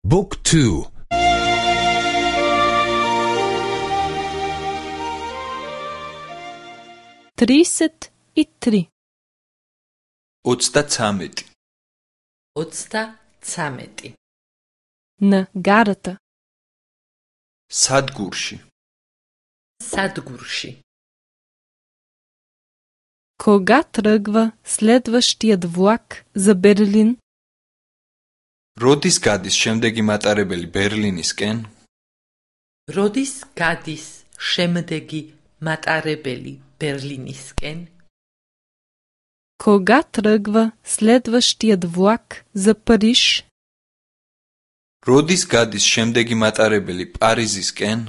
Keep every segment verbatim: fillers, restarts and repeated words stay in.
Book two. тридесет и три. ოცდაცამეტი. ოცდაცამეტი. На гарата. სადგურში. სადგურში. Кога тръгва следващият влак за Берлин? როდის გადის შემდეგი მატარებელი ბერლინისკენ? როდის გადის შემდეგი მატარებელი ბერლინისკენ? Кога тръгва следващият влак за Париж? როდის გადის შემდეგი მატარებელი პარიზისკენ?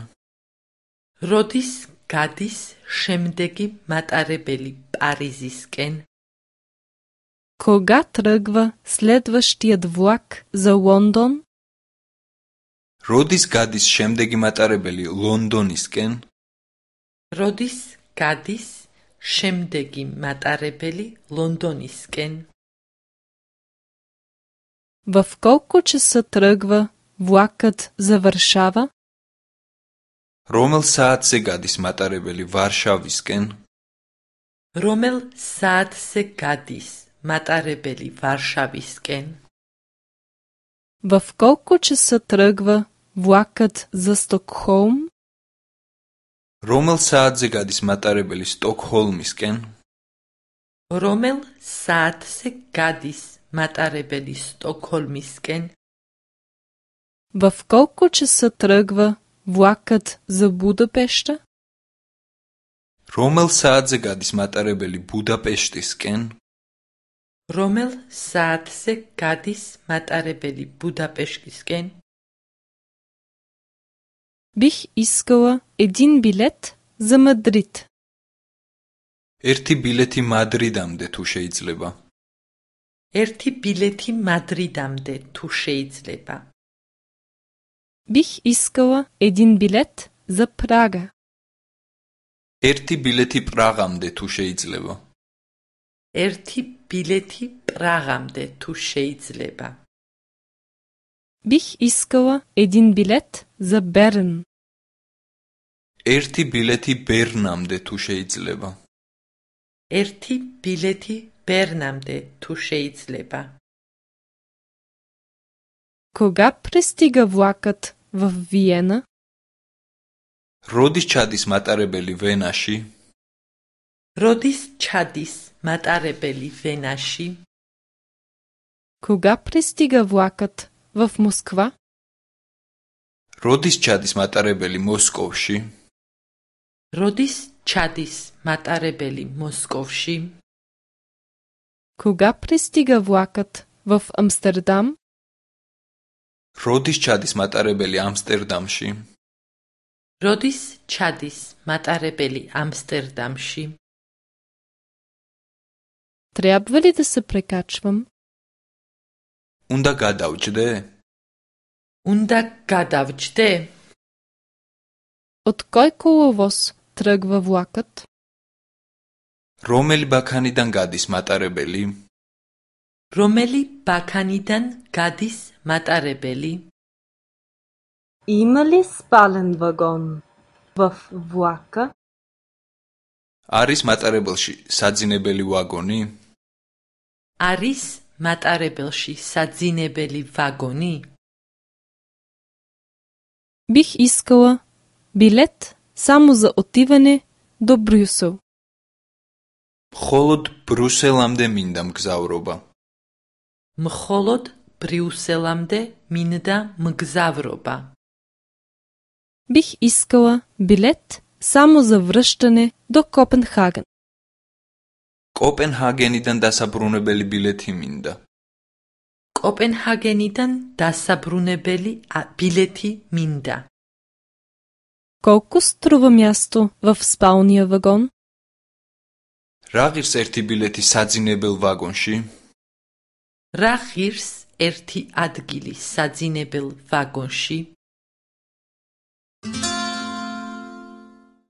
როდის გადის შემდეგი მატარებელი პარიზისკენ? Кога тръгва следващият влак за Лондон? როდის გადის შემდეგი მატარებელი ლონდონისკენ? როდის გადის შემდეგი მატარებელი ლონდონისკენ? В колко часа тръгва влакът за Варшава? რომელ საათზე გადის მატარებელი ვარშავისკენ? რომელ საათზე გადის მატარებელი ვარშავისკენ? В колко часа тръгва влакът за Стокхолм? რომელ საათზე გადის მატარებელი სტოკჰოლმისკენ? რომელ საათზე გადის მატარებელი სტოკჰოლმისკენ? В колко часа тръгва влакът за Будапеща? რომელ საათზე გადის მატარებელი ბუდაპეშტისკენ? რომელ საათზე გადის მატარებელი ბუდაპეშტისკენ? Бих искала един билет за Мадрид. ერთი ბილეთი მადრიდამდე თუ შეიძლება. ერთი ბილეთი მადრიდამდე თუ შეიძლება. Бих искала един билет за Прага. ერთი ბილეთი პრაღამდე თუ შეიძლება. ერთი ბილეთი პრაღამდე თუ შეიძლება. Бих искала един билет за Берн. ერთი ბილეთი ბერნამდე თუ შეიძლება. ერთი ბილეთი ბერნამდე თუ შეიძლება. Кога пристига влакът във Виена? როდის ჩადის მატარებელი ვენაში? როდის ჩადის მატარებელი ვენაში? Кога пристига влакът в Москва? როდის ჩადის მატარებელი მოსკოვში? როდის ჩადის მატარებელი მოსკოვში? Кога пристига влакът в Амстердам? როდის ჩადის მატარებელი ამსტერდამში? როდის ჩადის მატარებელი ამსტერდამში? Трябва ли да се прекачвам? უნდა გადავჯდე? უნდა გადავჯდე? От кой коловоз тръгва влакът? რომელი ბაქანიდან გადის მატარებელი? რომელი ბაქანიდან გადის მატარებელი? Има ли спален вагон във влака? არის მატარებელში საძინებელი ვაგონი? არის მატარებელში საძინებელი ვაგონი? Бих искала билет само за отиване до Брюсел. მხოლოდ ბრიუსელამდე მინდა მგზავრობა. მხოლოდ ბრიუსელამდე მინდა მგზავრობა. Бих искала билет само за връщане до Копенхаген. კოპენჰაგენიდან დასაბრუნებელი ბილეთი მინდა. კოპენჰაგენიდან დასაბრუნებელი ბილეთი მინდა. Колко струва място в спалния вагон? რა ღირს ერთი ბილეთი საძინებელ ვაგონში? რა ღირს ერთი ადგილი საძინებელ ვაგონში?